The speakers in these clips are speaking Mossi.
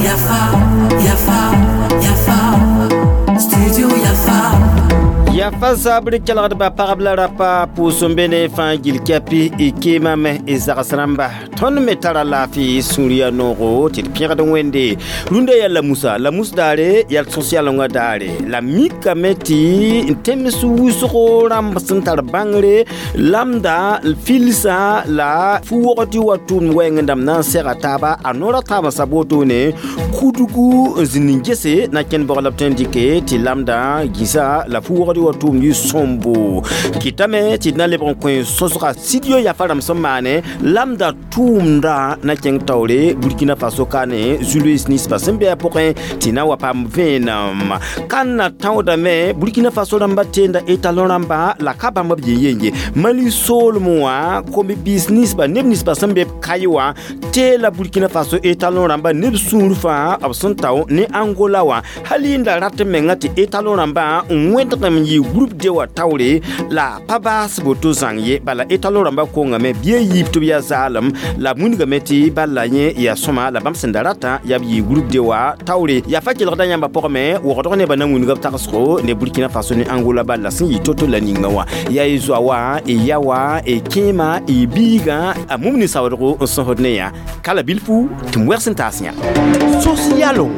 Yafa, Yafa, Yafa, Studio Yafa. Yafa zabr kelgdba pagb la rapa pʋʋs n be ne fãa gil kɛpɩ y keemame y zags rãmba tõnd me tara laafɩ sũur yaa noogo tɩ d pẽgd wẽnde rũndã yaa la musa la mus daare yaa sõs-yalengã daare la mikame tɩ n tẽms wʋsgo rãmb sẽn tar bãngre lamda filsã la fu-wogd tɩ wa tʋʋmd wɛɛng dãmb na n sɛga taaba a noora taabã sab wotone kudgu n zĩnd n gese na kẽnd bg la b tõe n dɩke tɩ lamda gĩsa la fu-wogd wa tʋʋmd yɩ sõmbo kɩtame tɩ d na lebg n kõ sõsga studio Yafa rãmb sẽn maane lamda tʋʋmda na kẽng taoore Burkina Faso ka ne Julius ninsbã sẽn be a pʋgẽ tɩ na wa paam vẽenem kãnna tãoodame Burkina Faso rãmba teenda étalon rãmba la ka bãmb b yen ye Mali soolem wã kom-biis ninsba neb ninsba sẽn be b kaye wã teela Burkina Faso étalon rãmba neb sũur fãa b sẽn tao ne Angola wã hal yẽnda rat menga tɩ étalon rãmbã n wẽdgem n yɩ groupe D wã taoore la pa baas boto zãng ye bala étalon rãmba kongame bɩ a yiib tɩ b yaa zaalem la b wilgame tɩ bala yẽ yaa sõma la bãmb sẽn da ratã yaa b yɩ groupe D wã taoore yaa fa kelgda yãmba pʋgame wogdg nebã na wilga b tagsgo ne Burkina Faso ne Angola bal la sẽn yɩ to-to la ninga wã yaa y zoa wã y ya wã y kẽema y biigã a mum ne saoodgo n sõsd ne yã ka la bilfu tɩ m wɛgs n taas yã sos yalongo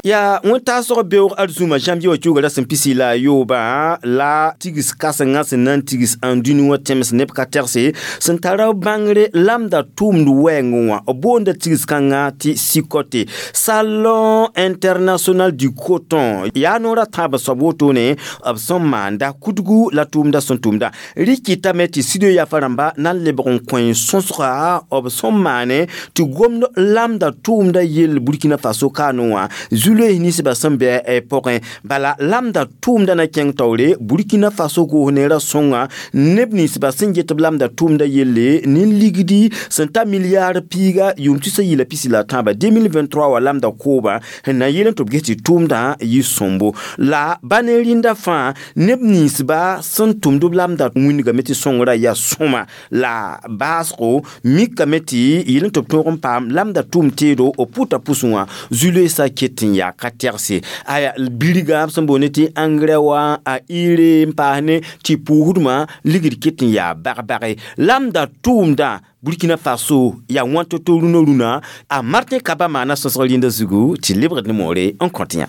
yaa wẽn-taasg beoog arzũma janvier wã kiuga rasem pisi la a yoobã la tigs kãsengã sẽn na n tigs ãn dũni wã tẽms neb ka tɛgse sẽn tara bãngre lamda tʋʋmd wɛɛngẽ wã b boonda tigs kãngã tɩ SICOTE, Salon international du coton. Yaa noorã tãab soab wotone b sẽn maanda kudgu la tʋʋmda sẽn tʋmda rɩkɩtame tɩ studio Yafa rãmba na n lebg n kõ sõsga b sẽn maane tɩ gomd lamda tʋʋmda yell Burkina Faso kaanẽ wã Zuloes ninsbã sẽn bɩ pʋgẽ bala lamda tʋʋmda na kẽng taoore Burkina Faso goos neerã sõnga neb ninsbã sẽn get b lamda tʋʋmda yelle nin-ligdi sẽn ta milliard piiga yʋʋm tusa yɩla pisi la tãabã 2023 wã lamda koobã sẽn na n yeel n tɩ b ges tɩ tʋʋmdã yɩ sõmbo la ba ne rĩnda fãa neb ninsba sẽn tʋmd b lamda wĩndgame tɩ sõngrã yaa sõma la baasgo mikame tɩ yel n tɩ b tõog n paam lamda tʋʋm teedo b pʋta pʋsẽ wã Zuloesã ket n yaa ka tɛgse aya birgã b sẽn boond tɩ engrais wã a ire n paas ne tɩ pʋʋsdmã ligd ket n yaa bag-bage lamda tʋʋmdã Burkina Faso yaa wãn to-to rũnã rũnã a Martin Kaba maana sõsg rĩndã zugu tɩ lebgd ne moore n kõt yã.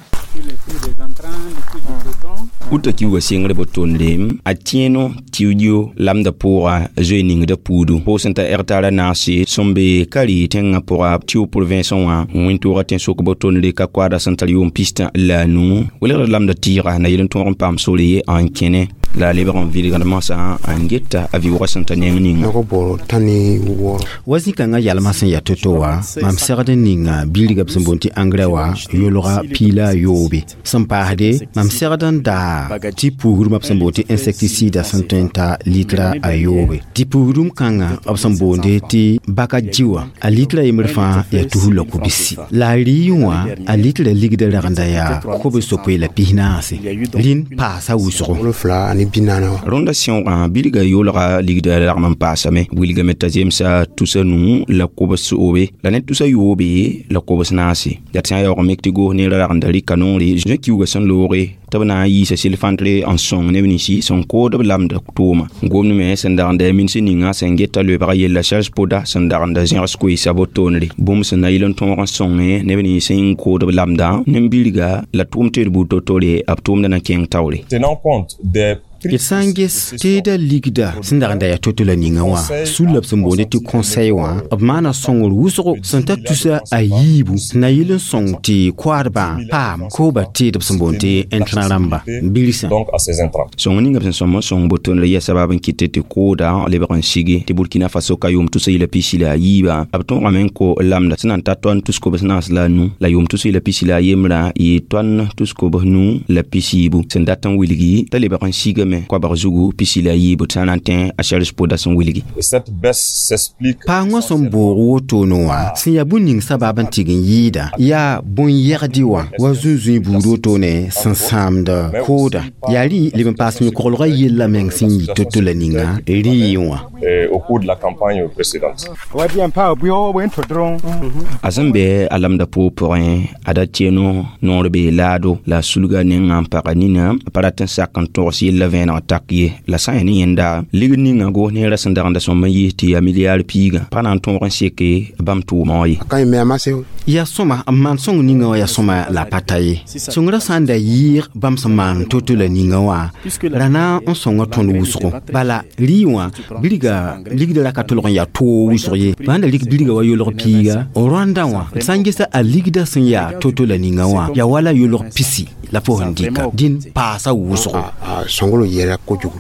Uta kiuga sɩngr bo tõndem a tẽeno tiudio lamda pʋʋga zoe ningda puudu pʋʋsẽn t'a hectare naase sẽn be ka rɩ tẽngã pʋga tɩ province wã wẽn-toogã tẽn-sok bo tõndre ka koaada sẽn tar yʋʋm pistã la a nu welgd lamda tɩɩga na yel n tõog n paam sore n kẽne la a lebg n vɩlgd masã n geta a vɩʋgã sẽn ta neng ninga. Wa zĩ-kãngã yalmã sẽn yaa to-to wã mam segd n ninga bilga b sẽn boond tɩ engrais wã yolga piila a yoobe sẽn paasde mam segd n daa tɩ puusdmã b sẽn boond tɩ insecticide sẽn tõe n ta litra a yoobe tɩ puusdum kãngã b sẽn boonde tɩ baka jiwã a litra yembr fãa yaa tus la kobsi la a rɩɩ wã a litra ligda ragenda yaa kobs sopoe la pisnaase rĩn paasa wʋsgo. Rõnda sẽoogã bilga yolga ligda lagm n paasame wilgame t'a zemsa tusa nu la kobs soobe la ne tusa yoobe la kobs naase yaa tɩ sã n yaoog mik tɩ goos neerã ragenda rɩka noore zoe kiuga sẽn looge tɩ b na n yiisa sɩl-fãntre n sõng neb ninsi sẽn kood b lamda tʋʋma gomd me sẽn dagenda mins ninga sẽn geta loebga yella charge poda sẽn dagenda zẽgs koeesa bo toonre bũmb sẽn na yɩl n tõog n sõnge neb nins sẽn kood b lamdã nin-bilga la tʋʋm teed buud to-tore b tʋʋmda na kẽng taoore. Tenant compte des D sã n ges teeda ligda sẽn dag n da yaa to-to la ninga wã sul la b sẽn boonde tɩ conseil wã b maana sõngr wʋsgo sẽn ta tusa a yiibu na yɩl n sõng tɩ koaadbã paam kooba teed b sẽn boond tɩ intrant rãmba birsã. Donc à ces intrants. Sõng ninga b sẽn sõm n sõng bo tõndr yaa sabab n kɩt tɩ kooda lebg n sigi tɩ Burkina Faso ka yʋʋm tusa yɩla pisi la a yiibã b tõogame n ko lamda sẽn na n ta tõnd tus-kobs naas la a nu la yʋʋm tus yɩla pisi la a yembrã yɩ tõnd tus-kobs nu la pisiibu sẽn dat n wilgi t'a lebg n sigame. wilgame koabg zugu pisi la yiibu tɩ sã na n tẽ a Charles Poda sẽn wilgi. Cette baisse s'explique Paagã sẽn boog wotone wã sẽn yaa bũn ning sabab n tɩg n yɩɩda yaa bõn-yɛgdɩ wã wa zũn-zũi buud wotone sẽn sãamd kooda yaa rɩ leb n paas yõ-koglgã yella meng sẽn yɩ to-to la ninga rɩɩ wã. Au cours de la campagne précédente. A sẽn be a lamda poog pʋgẽ a da tieno noor bee laado la sulga nengã n paga nina a pa rat n sak n togs yella vẽeneg tak ye la sã n yaa ne yẽnda ligd ninga goos neerã sẽn dagenda sõm n yiis tɩ yaa milliard piigã pa na n tõog n seke bãmb tʋʋmã wã ye. Yaa sõma n maan sõng ninga wã yaa sõma la pa ta ye. Sõngrã sã n da yɩɩg bãmb sẽn maan to-to la ninga wã ra na n sõnga tõnd wʋsgo bala rɩ wã bilga ligda ra ka tolg n yaa toog wʋsg ye bãn da rik bilga wa yolg piiga rõanda wã d sã n gesa a ligda sẽn yaa to-to la ninga wã yaa wala yolg pisi la fo sẽn dɩka dĩn paasa wʋsgo.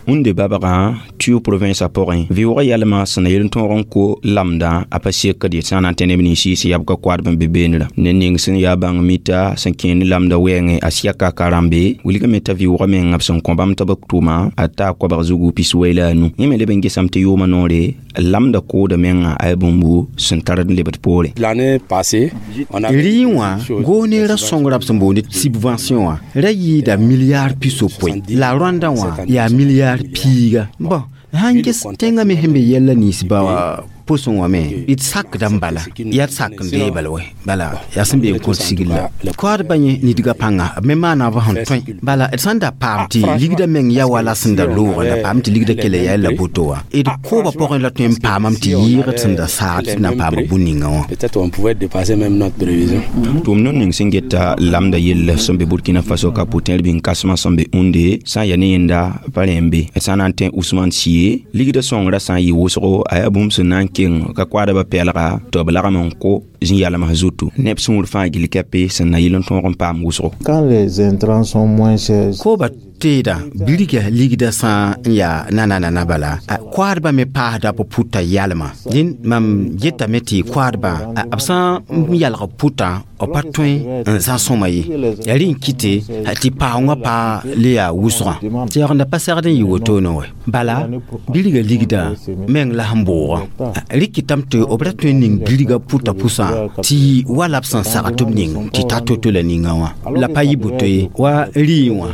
Wẽnde babgã tuo province a pʋgẽ vɩʋʋgã yalmã sẽn na yel n tõog n ko lamdã a pa sekd ye sã n na n tẽ neb nins sẽn yab ka koadb n be beenrã ne ning sẽn yaa bãng mita sẽn kẽe ne lamda wɛɛngẽ a siaka ka rãmbe wilgame t'a vɩʋʋgã meng b sẽn kõ bãmb tɩ b tʋma a taa koabg zugu piswɛi la a nu yẽ me leb n gesame tɩ yʋʋmã noore lamda kooda menga a yaa bũmbu sẽn tard n lebd poore. L'année passée, on a Rɩ wã goos neerã sõngrã b sẽn boond subvention wã ra yɩɩda milliard pisopoe la rõanda wã yaa milliard piiga bõn sãn ges tẽngã me sẽn be yɛlla nins ba pʋsẽ wã me d sakda n bala yaa d sak n dee bala wɛ bala yaa sẽn be n kõt sigr la koadbã yẽ nidgã pãnga b me maana b sẽn tõe bala d sãn da paam tɩ ligdã meng yaa wala sẽn da loogã da paam tɩ ligdã kela yaa la boto wã d koobã pʋgẽ la tõe n paamame tɩ yɩɩgd sẽn da saag tɩ na n paama bũn ninga wã. Peut-être on pouvait dépasser même notre prévision. Tʋʋm no ning sẽn geta lamda yell sẽn be Burkina Faso ka pʋtẽer bĩng kãsmã sẽn be Unde sã n yaa ne yẽnda pa rẽ n be d sã n na n tẽ Usman Sie ligdã sõngrã sã n yɩ wʋsgo a yaa bũmb sẽn na n keng ka koadbã pɛlga tɩ b lagm n ko zĩ-yalms zutu neb sũur fãa gill kɛpe sẽn na yɩl n tõog n paam wʋsgo. Quand les intrants sont moins chers, Koobã teeda bilga ligda sã n yaa nana-nana bala koadbã me paasda b pʋta yalma dĩn mam getame tɩ koadbã b sã n yalg pʋtã b pa tõe n zã sõma ye yaa rẽ n kɩte tɩ paoongã pa le yaa wʋsgã tɩ yaoogda pa segd n yɩ wotone wɛ bala bilga ligda meng la sẽn boogã rɩkɩtame tɩ b ra tõe n ning bilga pʋta pʋsã tɩ wala b sẽn sag tɩ b ning tɩ ta to-to la ninga wã la pa yɩ boto ye wa rɩɩ wã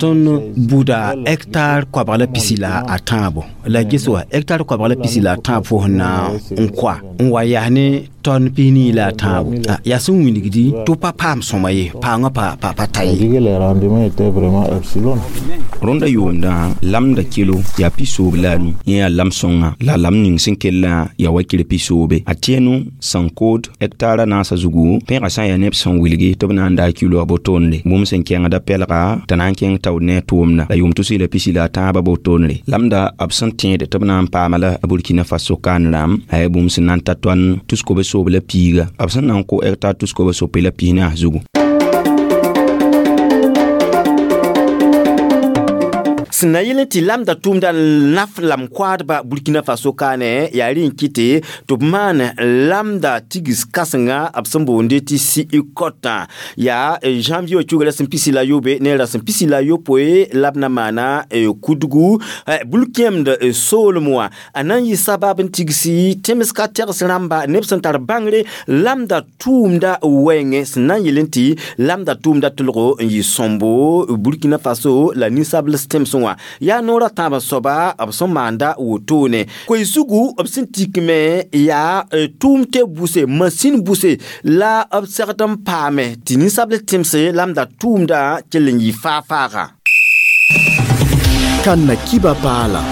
tõnd buda hectare koabg la pisi la a tãabo la ges wa hectare koabg la pisi la a tãab fo sẽn na n koa n wa yaa ne tɔn pisnii la a tãabo yaa sẽn wilgdi tɩ pa paam sõma ye paoongã pa ta ye. Les rendements étaient vraiment epsilon. Rõnda yʋʋmdã lamda kilo yaa pisoob la a nu yẽ yaa lam sõnga la lam ning sẽn kellã yaa wakir pisoobe a tẽenu sẽn kood hectara naasã zugu pẽegã sã n yaa neb sẽn wilgi tɩ b na n daa kilo a botoonde bũmb sẽn kẽngda pɛlga t'a na n kẽng taood ne a tʋʋmda la yʋʋm tus la pisi la a tãabã botoonre lamda b sẽn tẽed tɩ b na n paama la a Burkina Faso kaan rãmb a yaa bũmb sẽn na n ta tõan tus-kob soob la piiga b sẽn na n kʋ hectare tus-kob sope la pis-naas zugu. Sẽn na yɩl n tɩ lamda tʋʋmda naf lam koadba Burkina Faso kaane yaa rẽ n kɩte tɩ b maan lamda tigis kãsenga b sẽn boonde tɩ siikɔtã yaa janvier wã cuga rasem pisi la yobe ne rasem pisi la yopoe la b na maana kudgu bul-kẽemd soolem wã a na n yɩ sabab n tigsi tẽms ka tegs rãmba neb sẽn tar bãngre lamda tʋʋmda wɛɛngẽ sẽn na n yel n tɩ lamda tʋʋmda tʋlgo n yɩ sõmbo Burkina Faso la ninsabls tẽmsẽ wã yaa noorã tãab soaba b sẽn maanda wotone koe zugu b sẽn tikme yaa tʋʋm tɩ buse masin buse la b segd n paame tɩ ninsabl tẽmse lamda tʋʋmda kell n yɩ faa-faaga. Kanna kiba paala.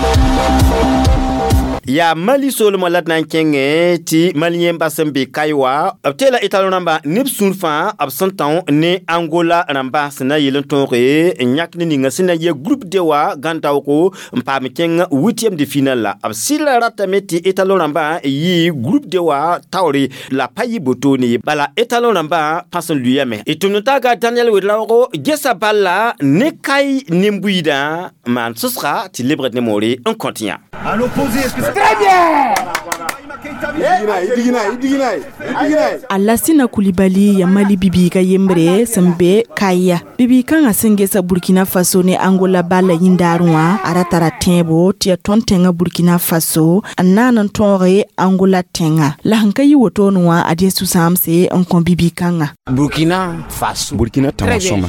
Yaa Mali soolmã la d na n kẽngẽ tɩ Mali yẽmba sẽn be kae wã b teela Italo rãmba neb sũur fãa b sẽn tão ne Angola rãmba sẽn na yel n tõoge n yãk ne ninga sẽn na yɛ groupe D wã gãn-daoogo n paam kẽng huitième de finale la b sɩlla ratame tɩ Italo rãmbã yɩ groupe D wã taoore la pa yɩ botone ye bala Italo rãmbã pãs n lʋyame d tʋmd taaga Daniel Wedraoogo gesa balla ne kae nin-buiidã n maan sʋsga tɩ lebgd ne moore n kõt yã. À l'opposé, est-ce que c'est très bien? Alasina Kulibali ya Mali bibiiga yembre sẽn be Kaya. Bibiig kãngã sẽn gesa Burkina Faso ne Angola balla yĩndaarẽ wã a ra tara tẽebo tɩ yaa tõnd tẽngã Burkina Faso n naan n tõoge Angola tẽngã. La sẽn ka yɩ wotone wã ad ye sũ-sãamse n kõ bibiig kãngã. Burkina Faso. Burkina tãoo sõma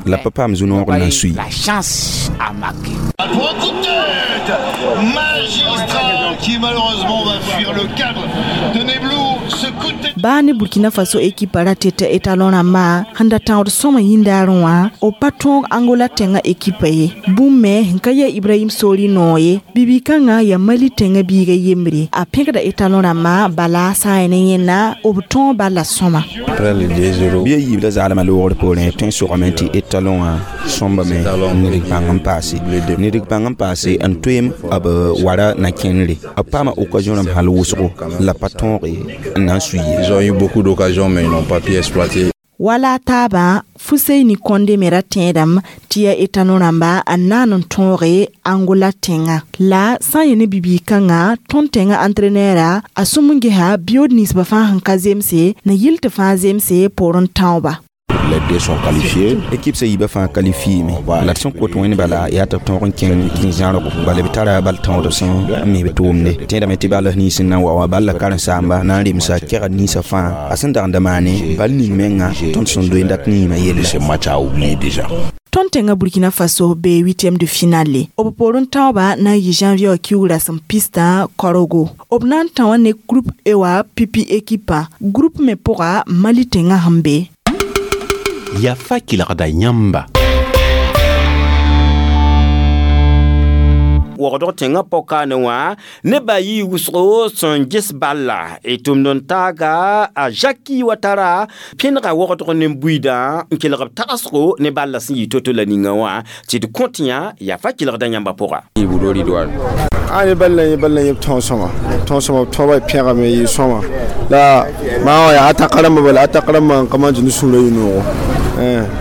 la pa paam zu-noog n na n sui. La chance a marqué. Magistral qui malheureusement va fuir le cadre de Neblou. Ce coup de tête. Baa ne Burkina Faso ekipa ra tɩ etalon rãmba sẽn da tãood sõma yĩndaarẽ wã b pa tõog Angola tẽngã ekipa ye. Bũmb me sẽn ka yaa Ibrahim Sori noog ye. Bibi-kãngã yaa Mali tẽngã biiga yembre. A pẽgda etalon rãmba bala sã n yaa ne yẽnna b tõog bala sõma. Bɩ a yiib la zaalmã loogr poorẽ tõe n sogame tɩ etalon wã sõmbame ned bãng n paase. Ned bãng n paase n toeem b wara na kẽnere. B paama occasion rãmb hal wʋsgo la pa tõoge n na n sui ye. Ils ont eu beaucoup d'occasions mais ils n'ont pas pu exploiter. Wala taabã Fuseini Konde me ra tẽedame tɩ yaa etalon rãmba n naan n tõoge Angola tẽngã. La sã n yẽ ne bibiig-kãngã tõnd tẽngã entraîneur a sũm n gesa biyood ninsbã fãa sẽn ka zemse na yɩl tɩ fãa zemse poorẽ tãooba. Les deux sont qualifiés. Équipe sã yiibã fãa qualifié me. La d sẽn kot wẽnd bala yaa tɩ b tõog n kẽng zĩ-zãrgo bala b tara bal tãood sẽn n mi b tʋʋmde. Tẽedame tɩ bal nins n na n wa wã bal la karen-saamba na n remsa kɛgd ninsã fãa a sẽn dag n da maane bal ning menga tõnd sẽn doe n dat niima yella. Ce match a oublié déjà. Tõnd tẽngã Burkina Faso bee huitième de finale. B poorẽ tãooba na n yɩ janvier kiugra sẽn pistã kaorogo. B na n tão ne groupe E wã pipi ekipã. Groupe me pʋga Mali tẽngã sẽn be. Yafa kelgda yãmba. Wogdg tẽngã pɔkaane wã nebã yɩ wʋsgo sẽn ges balla y tʋmd n taaga a Jacki Watara pẽnega wogdg ne buiidã n kelg b tagsgo ne balla sẽn yɩ to-to la ninga wã tɩ d kõt yã yafa kelgda yãmba pʋga. A ne balla yẽ balla yẽ tõog sõma tõog sõma tõoba pẽgame yɩ sõma la maa wã yaa ataka rãmbã bala ataka rãmbã n ka maan tɩ ne sũurã yɩ noogo.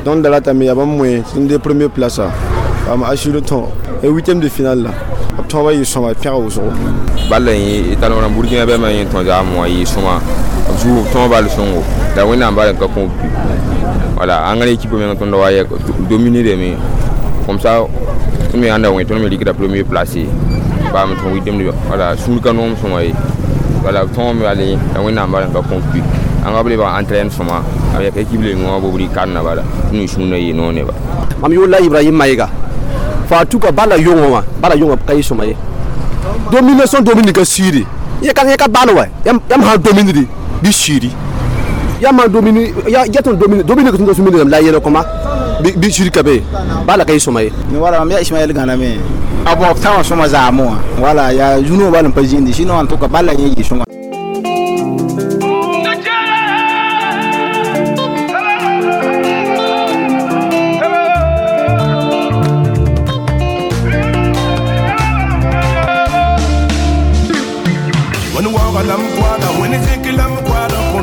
Donc da ratame yaa bãmb moe tɩ n dee premier place am assuré tõog e huitième de finale la b tõoba yɩ sõma pẽga wʋsgo. Balla yẽ etalon rãmb Burkina bɛma yẽ tõe zaam wã yɩ sõma b zug tõog bal sõngo la wẽnnaam bal n ka kõ but. Voilà, engrais équipe meng tõnd wa yɛ dominer deme comme ça tõnd me ãnda wẽ tõnd me rɩkda premier place baam tõe huitième de voilà sũur ka noom sõma ye. Voilà, tõog me bal la wẽnnaam bal n ka kõ but. Ãnga b lebg entraîne sõma avec équipe le wã bobri karna bala tõnd sũur na yɩ noog neba. Mam yʋʋr la Ibrahim Maïga. Fa tuka bala yõngã wã bala yõngã ka yɩ sõma ye. Domination domine ka siiri yẽ ka bal wa yãmb sã n dominedi bɩ siiri yãmb sã n domine ya tõnd domine domine ka tõnd domine la yɛl kõma bɩ siiri ka be bala ka yɩ sõma ye. Wala mam yaa Ismaɛl Gãname a bõob tã wã sõma zaamẽ wã wala yaa zu-noog bal n pa zĩndi sinon en tout cas bala yẽ yɩ sõma.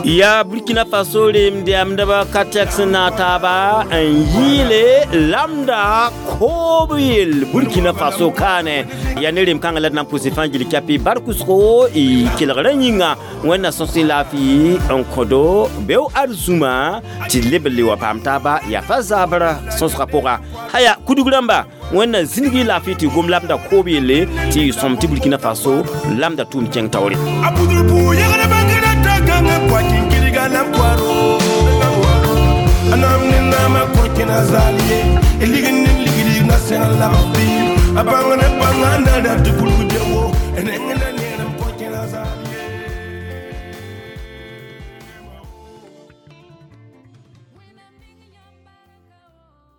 Ya Burkina Faso remdɛmdba ka tɛk sẽn na taaba n yɩɩle lamda koob yell Burkina Faso kaane ya ne rem-kãngã la d na n pʋse fãa gil kɛpɩ barkʋsgo y kelgrã yĩnga wẽnna sõs-y laafɩ n kõdo beo arzũma tɩ leb n le wa paam taaba yafa zabra sõsgã pʋga haya kudg rãmba wẽnna zĩnig y laafɩ tɩ gom lamda koob yelle tɩ y sõm tɩ Burkina Faso lamda tʋʋm kẽng taoore.